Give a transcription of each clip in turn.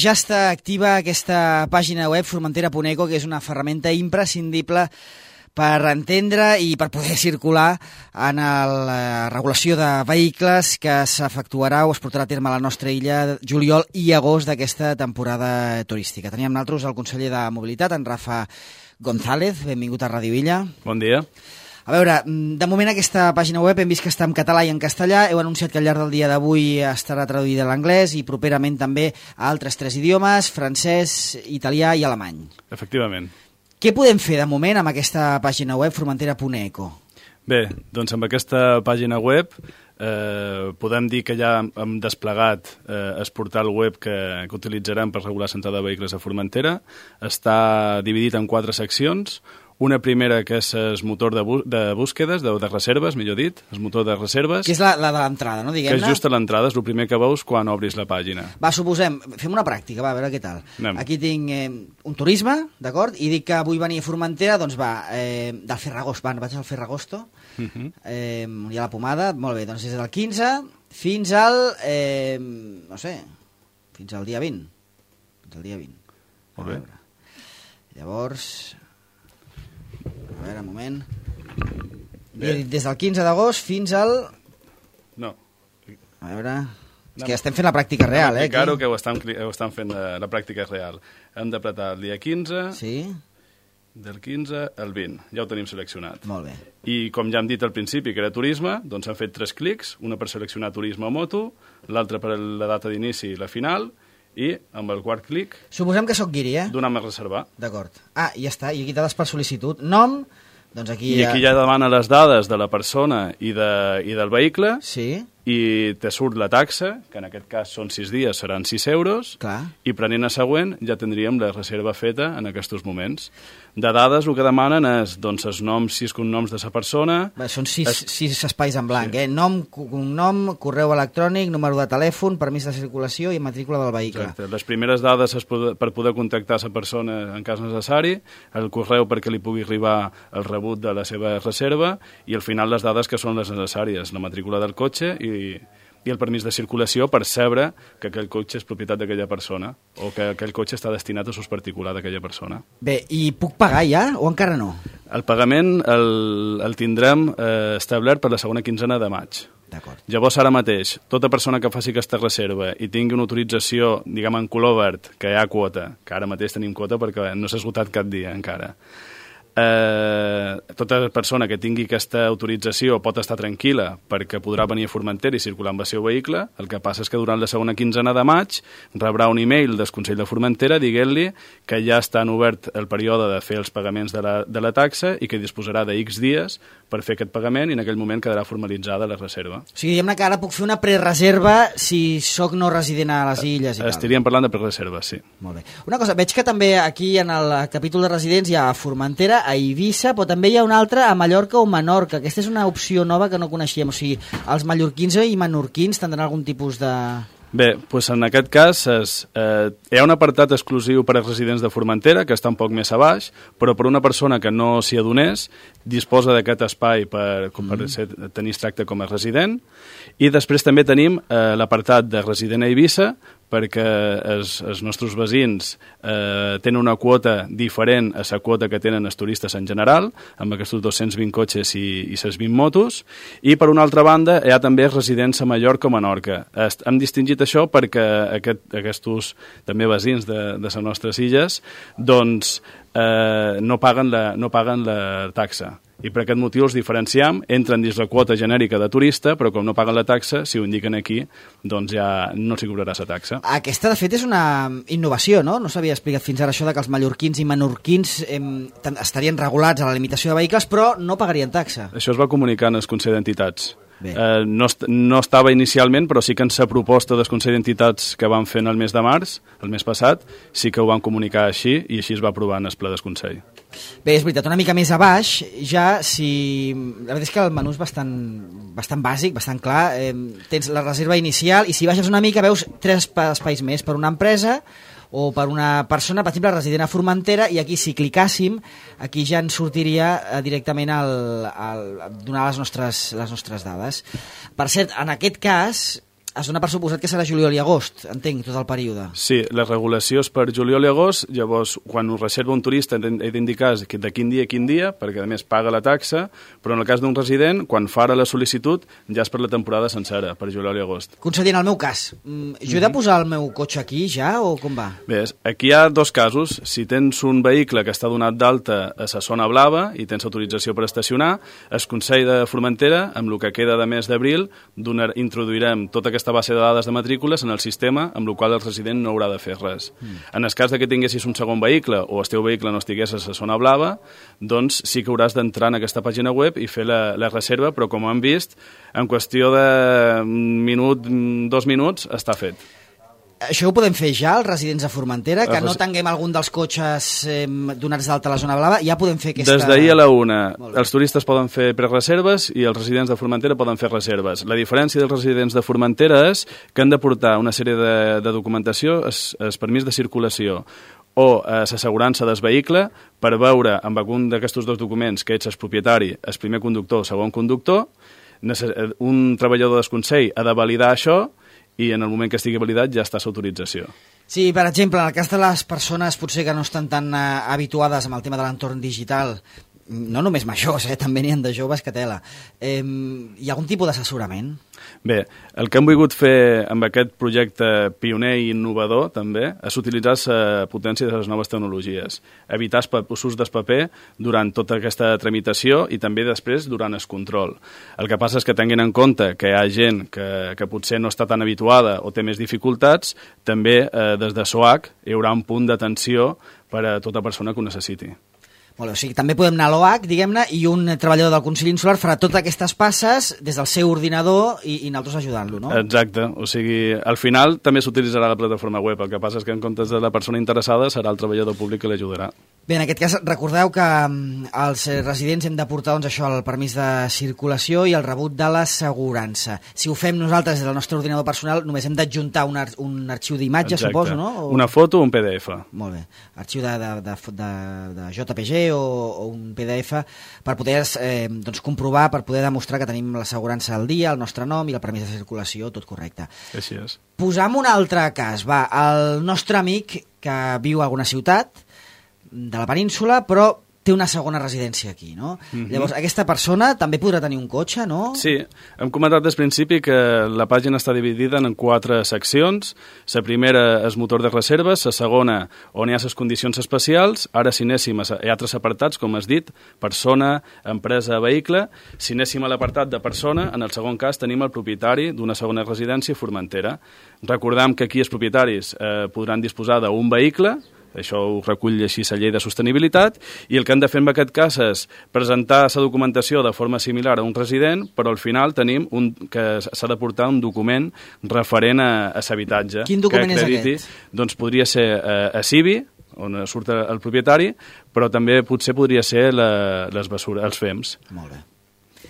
ja està activa aquesta pàgina web formentera.eco, que és una ferramenta imprescindible per entendre i per poder circular en la regulació de vehicles que s'efectuarà o es portarà a terme a la nostra illa juliol i agost d'aquesta temporada turística. Teníem nosaltres el conseller de Mobilitat, en Rafa González. Benvingut a Ràdio Illa. Bon dia. A veure, de moment aquesta pàgina web hem vist que està en català i en castellà. Heu anunciat que al llarg del dia d'avui estarà traduïda a l'anglès i properament també a altres 3 idiomes, francès, italià i alemany. Efectivament. Què podem fer de moment amb aquesta pàgina web formentera.eco? Bé, doncs amb aquesta pàgina web podem dir que ja hem desplegat el portal web que utilitzarem per regular l'entrada de vehicles a Formentera. Està dividit en 4 seccions. Una primera que és el motor de búsquedes, de reserves, millor dit, el motor de reserves. Que és la de l'entrada, no? Diguem-ne. Que és just a l'entrada, és el primer que veus quan obris la pàgina. Va, suposem, fem una pràctica, va, a veure què tal. Anem. Aquí tinc un turisme, d'acord? I dic que vull venir a Formentera, doncs va, del Ferragost, vaig al Ferragosto, on hi ha la pomada, molt bé, doncs des del 15 fins al, no sé, fins al dia 20. Fins al dia 20. Molt bé. Llavors... A veure, un moment. Des del 15 d'agost fins al... No. A veure... És que estem fent la pràctica real, eh? Claro que ho estan fent la pràctica real. Hem d'apretar el dia 15, sí. Del 15 al 20. Ja ho tenim seleccionat. Molt bé. I com ja hem dit al principi que era turisme, doncs hem fet 3 clics, una per seleccionar turisme o moto, l'altra per la data d'inici i la final, i amb el 4 clic... Suposem que sóc guiri, eh? Donem a reservar. D'acord. Ah, i ja està. I aquí dades per sol·licitud. Nom, doncs aquí... I aquí ja demana les dades de la persona i del vehicle. Sí. I te surt la taxa, que en aquest cas són 6 dies, seran 6 euros. Clar. I prenent a següent ja tindríem la reserva feta en aquests moments. De dades el que demanen és doncs, els noms, 6 cognoms de la persona... Bé, són 6 espais en blanc, sí. Nom, cognom, correu electrònic, número de telèfon, permís de circulació i matrícula del vehicle. Exacte. Les primeres dades per poder contactar la persona en cas necessari, el correu perquè li pugui arribar el rebut de la seva reserva i al final les dades que són les necessàries, la matrícula del cotxe i el permís de circulació per saber que aquell cotxe és propietat d'aquella persona o que aquell cotxe està destinat a ús particular d'aquella persona. Bé, i puc pagar ja o encara no? El pagament el tindrem establert per la segona quinzena de maig. D'acord. Llavors, ara mateix, tota persona que faci aquesta reserva i tingui una autorització, diguem, en color verd, que hi ha quota, que ara mateix tenim quota perquè no s'ha esgotat cap dia encara, tota persona que tingui aquesta autorització pot estar tranquil·la perquè podrà venir a Formentera i circular amb el seu vehicle. El que passa és que durant la segona quinzena de maig rebrà un email del Consell de Formentera dient-li que ja està obert el període de fer els pagaments de la taxa i que disposarà de X dies per fer aquest pagament i en aquell moment quedarà formalitzada la reserva. O sigui, diguem-ne que ara puc fer una prereserva si sóc no resident a les illes i tal. Estaríem parlant de prereserva, sí. Molt bé. Una cosa, veig que també aquí en el capítol de residents hi ha Formentera, a Eivissa, però també hi ha una altra a Mallorca o Menorca. Aquesta és una opció nova que no coneixíem. O sigui, els mallorquins i menorquins tindran algun tipus de... Bé, doncs en aquest cas hi ha un apartat exclusiu per als residents de Formentera, que està un poc més a baix, però per una persona que no s'hi adonés, disposa d'aquest espai per tenir tracte com a resident. I després també tenim l'apartat de resident a Eivissa, perquè els nostres veïns tenen una quota diferent a la quota que tenen els turistes en general, amb aquests 220 cotxes i les 20 motos, i per una altra banda hi ha també residents a Mallorca o Menorca. Hem distingit això perquè aquests també veïns de les nostres illes doncs no paguen la taxa. I per aquest motiu els diferenciem, entren dins la quota genèrica de turista, però com no paguen la taxa, si ho indiquen aquí, doncs ja no s'hi cobrarà la taxa. Aquesta, de fet, és una innovació, no? No s'havia explicat fins ara això de que els mallorquins i menorquins estarien regulats a la limitació de vehicles, però no pagarien taxa. Això es va comunicar en el Consell d'Entitats. No estava inicialment, però sí que en la proposta del Consell d'Entitats que van fer el mes de març, el mes passat, sí que ho van comunicar així i així es va aprovar en el ple del Consell. Bé, és veritat, una mica més a baix, ja si... La veritat és que el menú és bastant bàsic, bastant clar. Tens la reserva inicial i si baixes una mica veus 3 espais més per una empresa o per una persona, per exemple, resident a Formentera, i aquí si clicàssim, aquí ja ens sortiria directament donar les nostres dades. Per cert, en aquest cas, Es dona per suposat que serà juliol i agost, entenc, tot el període. Sí, la regulació és per juliol i agost, llavors quan ho reserva un turista he d'indicar de quin dia, perquè a més paga la taxa, però en el cas d'un resident, quan farà la sol·licitud, ja és per la temporada sencera, per juliol i agost. Conseller, en el meu cas, jo he de posar el meu cotxe aquí ja o com va? Bé, aquí hi ha dos casos. Si tens un vehicle que està donat d'alta a la zona blava i tens autorització per estacionar, el Consell de Formentera, amb el que queda de mes d'abril, introduirem tota aquesta base de dades de matrícules en el sistema, amb el qual el resident no haurà de fer res. En el cas que tinguessis un segon vehicle o el teu vehicle no estigués a la zona blava, doncs sí que hauràs d'entrar en aquesta pàgina web i fer la reserva, però com hem vist, en qüestió de minut, 2 minuts, està fet. Això ho podem fer ja, els residents de Formentera, que no tinguem algun dels cotxes donats d'alta a la zona blava, ja podem fer aquesta... Des d'ahir a la 1, els turistes poden fer prereserves i els residents de Formentera poden fer reserves. La diferència dels residents de Formentera és que han de portar una sèrie de documentació, el permís de circulació o l'assegurança del vehicle per veure amb algun d'aquests dos documents que ets el propietari, el primer conductor o segon conductor. Un treballador del Consell ha de validar això i en el moment que estigui validat ja està l'autorització. Sí, per exemple, en el cas de les persones potser que no estan tan habituades amb el tema de l'entorn digital, no només majors, també n'hi ha de joves que tela, hi ha algun tipus d'assessorament? Bé, el que hem volgut fer amb aquest projecte pioner i innovador també és utilitzar la potència de les noves tecnologies, evitar l'ús del paper durant tota aquesta tramitació i també després durant el control. El que passa és que tinguin en compte que hi ha gent que potser no està tan habituada o té més dificultats, també des de SOAC hi haurà un punt d'atenció per a tota persona que ho necessiti. Molt bé, o sigui, també podem anar a l'OAC, diguem-ne, i un treballador del Consell Insular farà totes aquestes passes des del seu ordinador i nosaltres ajudant-lo, no? Exacte, o sigui, al final també s'utilitzarà la plataforma web, el que passa és que en comptes de la persona interessada serà el treballador públic que l'ajudarà. Bé, en aquest cas, recordeu que els residents hem de portar doncs, això, el permís de circulació i el rebut de l'assegurança. Si ho fem nosaltres des del nostre ordinador personal, només hem d'adjuntar un arxiu d'imatge, suposo, no? Una foto o un PDF. Molt bé. Arxiu de JPG o un PDF per poder doncs, comprovar, per poder demostrar que tenim l'assegurança al dia, el nostre nom i el permís de circulació, tot correcte. Així és. Posam un altre cas. Va, el nostre amic que viu a alguna ciutat de la península, però té una segona residència aquí, no? Llavors, aquesta persona també podrà tenir un cotxe, no? Sí, hem comentat des principi que la pàgina està dividida en 4 seccions. La primera és motor de reserves, la segona on hi ha les condicions especials, ara si anéssim hi ha altres apartats, com has dit, persona, empresa, vehicle. Si anéssim a l'apartat de persona, en el segon cas tenim el propietari d'una segona residència a Formentera. Recordem que aquí els propietaris podran disposar d'un vehicle, això ho recull així la llei de sostenibilitat, i el que han de fer en aquest cas és presentar la documentació de forma similar a un resident, però al final tenim que s'ha de portar un document referent a l'habitatge. Quin document és aquest? Doncs podria ser a CIVI, on surt el propietari, però també potser podria ser els FEMS. Molt bé.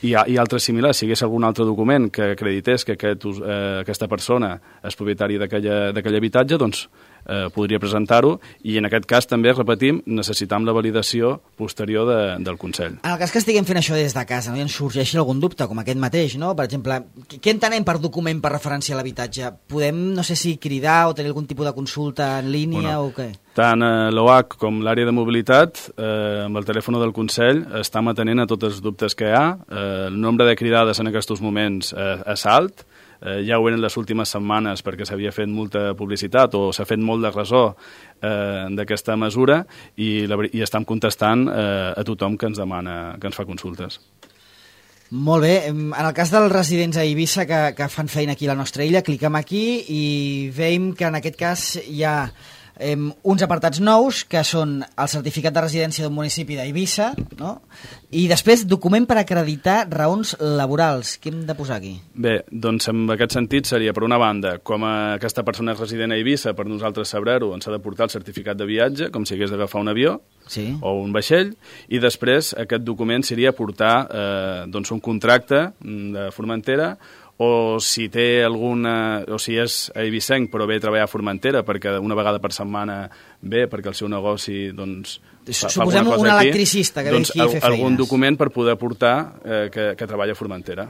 I altres similars, si hi hagués algun altre document que acredités que aquesta persona és propietari d'aquell habitatge, doncs podria presentar-ho, i en aquest cas també, repetim, necessitam la validació posterior del Consell. En el cas que estiguem fent això des de casa, no, i ens sorgeixi algun dubte, com aquest mateix, no? Per exemple, què entenem per document per referència a l'habitatge? Podem, no sé si cridar o tenir algun tipus de consulta en línia o què? Tant l'OAC com l'àrea de mobilitat, amb el telèfon del Consell, estem atenent a tots els dubtes que hi ha. El nombre de cridades en aquests moments és alt, ja ho eren les últimes setmanes perquè s'havia fet molta publicitat o s'ha fet molt de ressò d'aquesta mesura i estem contestant a tothom que ens demana, que ens fa consultes. Molt bé, en el cas dels residents a Eivissa que fan feina aquí a la nostra illa, cliquem aquí i veiem que en aquest cas hi ha uns apartats nous que són el certificat de residència d'un municipi d'Eivissa, no? I després document per acreditar raons laborals. Què hem de posar aquí? Bé, doncs en aquest sentit seria, per una banda, com aquesta persona és resident a Eivissa, per nosaltres saber-ho, ens ha de portar el certificat de viatge, com si hagués d'agafar un avió, sí, o un vaixell, i després aquest document seria portar doncs un contracte de Formentera, o si té alguna, o si és eivissenc però ve a treballar a Formentera perquè una vegada per setmana ve perquè el seu negoci doncs suposem un electricista que ve aquí a fer feines, algun document per poder portar que treballa a Formentera.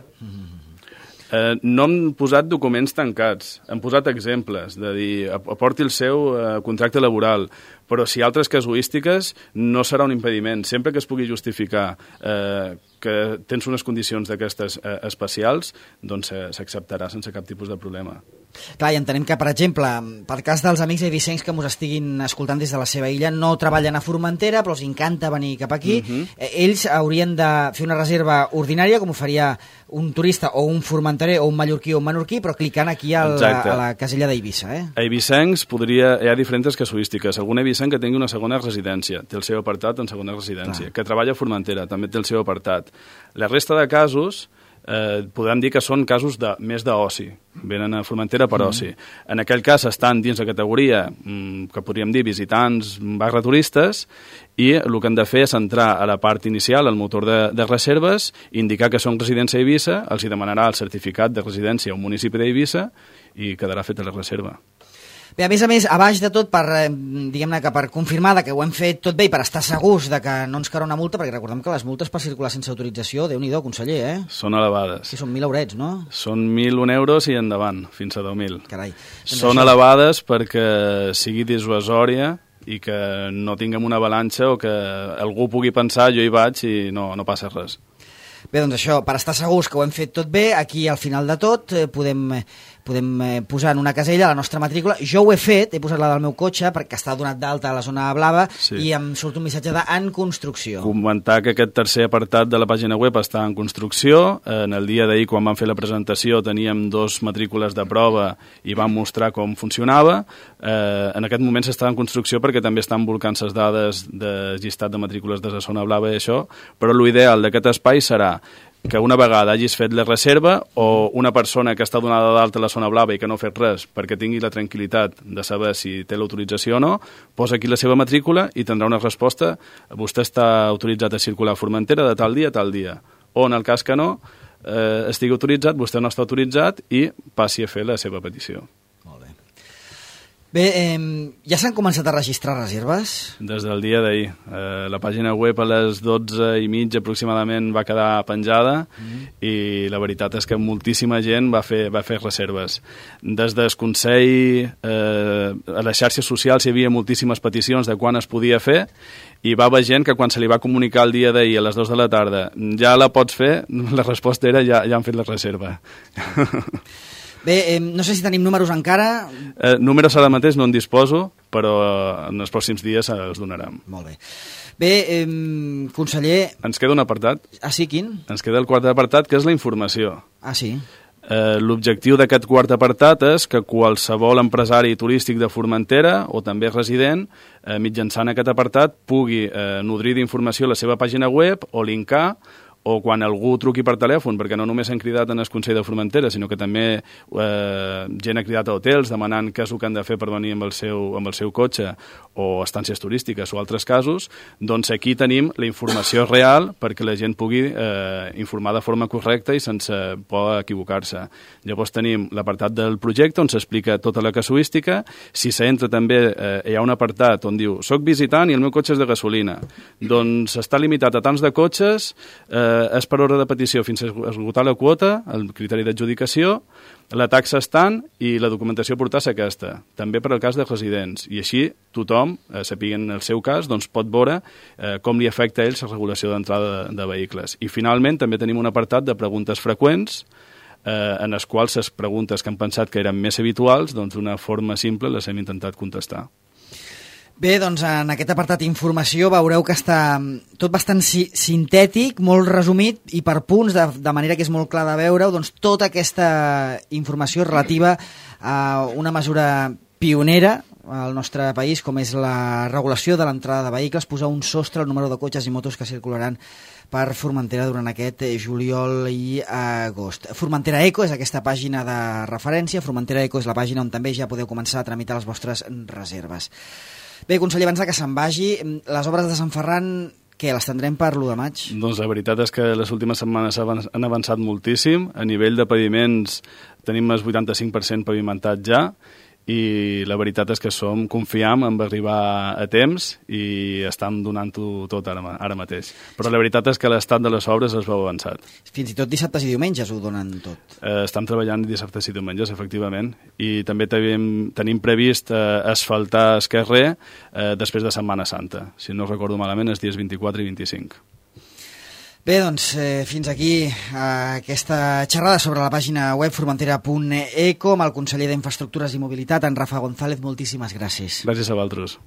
No hem posat documents tancats, hem posat exemples, de dir, aporti el seu contracte laboral, però si hi ha altres casuístiques no serà un impediment. Sempre que es pugui justificar que tens unes condicions d'aquestes especials, doncs s'acceptarà sense cap tipus de problema. Clar, i entenem que, per exemple, pel cas dels amics eivissencs que ens estiguin escoltant des de la seva illa, no treballen a Formentera, però els encanta venir cap aquí. Ells haurien de fer una reserva ordinària, com ho faria un turista o un formenterer o un mallorquí o un menorquí, però clicant aquí a la casella d'Eivissa. A eivissencs hi ha diferents casuístiques. Algun eivissenc que tingui una segona residència, té el seu apartat en segona residència. Que treballa a Formentera, també té el seu apartat. La resta de casos podem dir que són casos més d'oci, venen a Formentera per oci. En aquell cas estan dins la categoria que podríem dir visitants / turistes, i el que han de fer és entrar a la part inicial, al motor de reserves, indicar que són residents a Eivissa, els hi demanarà el certificat de residència a un municipi d'Eivissa i quedarà feta la reserva. Bé, a més, a baix de tot, diguem-ne que per confirmar que ho hem fet tot bé i per estar segurs de que no ens caurà una multa, perquè recordem que les multes per circular sense autorització, Déu-n'hi-do, conseller, Són elevades. Sí, són 1.000 eurets, no? Són 1.001 euros i endavant, fins a 10.000. Carai. Són elevades perquè sigui dissuasòria i que no tinguem una avalanxa o que algú pugui pensar jo hi vaig i no passa res. Bé, doncs això, per estar segurs que ho hem fet tot bé, aquí al final de tot podem posar en una casella la nostra matrícula. Jo ho he fet, he posat la del meu cotxe perquè està donat d'alta a la zona blava i em surt un missatge en construcció. Comentar que aquest tercer apartat de la pàgina web està en construcció. En el dia d'ahir, quan vam fer la presentació, teníem 2 matrícules de prova i vam mostrar com funcionava. En aquest moment s'està en construcció perquè també estan volcant les dades de llistat de matrícules de la zona blava i això, però l'ideal d'aquest espai serà que una vegada hagis fet la reserva o una persona que està donada d'alta a la zona blava i que no ha fet res perquè tingui la tranquil·litat de saber si té l'autorització o no, posa aquí la seva matrícula i tindrà una resposta: vostè està autoritzat a circular a Formentera de tal dia a tal dia. O en el cas que no estigui autoritzat, vostè no està autoritzat i passi a fer la seva petició. Bé, ja s'han començat a registrar reserves? Des del dia d'ahir. La pàgina web a les 12:30 aproximadament va quedar penjada i la veritat és que moltíssima gent va fer reserves. Des del Consell, a les xarxes socials hi havia moltíssimes peticions de quan es podia fer i va haver gent que quan se li va comunicar el dia d'ahir a les 2 de la tarda ja la pots fer, la resposta era ja han fet la reserva. Bé, no sé si tenim números encara. Números ara mateix no en disposo, però en els pròxims dies els donarem. Molt bé. Bé, conseller... Ens queda un apartat. Ah, sí, quin? Ens queda el quart apartat, que és la informació. Ah, sí? L'objectiu d'aquest quart apartat és que qualsevol empresari turístic de Formentera o també resident, mitjançant aquest apartat, pugui nodrir d'informació la seva pàgina web o linkar, o quan algú truqui per telèfon, perquè no només han cridat en el Consell de Formentera, sinó que també gent ha cridat a hotels demanant què és el que han de fer per venir amb el seu cotxe, o estàncies turístiques o altres casos, doncs aquí tenim la informació real perquè la gent pugui informar de forma correcta i sense por equivocar-se. Llavors tenim l'apartat del projecte on s'explica tota la casuística. Si s'entra també hi ha un apartat on diu soc visitant i el meu cotxe és de gasolina. Doncs està limitat a tants de cotxes, és per ordre de petició fins a esgotar la quota, el criteri d'adjudicació, la taxa estant i la documentació a portar és aquesta, també per al cas de residents. I així tothom, sapiguen el seu cas, doncs pot veure com li afecta a ells la regulació d'entrada de vehicles. I finalment també tenim un apartat de preguntes freqüents en les quals les preguntes que han pensat que eren més habituals, doncs d'una forma simple les hem intentat contestar. Bé, doncs en aquest apartat d'informació veureu que està tot bastant sintètic, molt resumit i per punts, de manera que és molt clar de veure-ho, doncs tota aquesta informació relativa a una mesura pionera al nostre país, com és la regulació de l'entrada de vehicles, posar un sostre al número de cotxes i motos que circularan per Formentera durant aquest juliol i agost. Formentera Eco és aquesta pàgina de referència, Formentera Eco és la pàgina on també ja podeu començar a tramitar les vostres reserves. Bé, conseller, abans que se'n vagi, les obres de Sant Ferran, què, les tindrem per l'1 de maig? Doncs la veritat és que les últimes setmanes han avançat moltíssim. A nivell de paviments tenim el 85% pavimentat ja i la veritat és que confiam en arribar a temps i estem donant-ho tot ara mateix. Però la veritat és que l'estat de les obres es veu avançat. Fins i tot dissabtes i diumenges ho donen tot. Estem treballant dissabtes i diumenges, efectivament, i també tenim previst asfaltar el carrer després de Setmana Santa. Si no recordo malament, els dies 24 i 25. Bé, doncs, fins aquí aquesta xerrada sobre la pàgina web formentera.eco amb el conseller d'Infraestructures i Mobilitat, en Rafa González. Moltíssimes gràcies. Gràcies a vosaltres.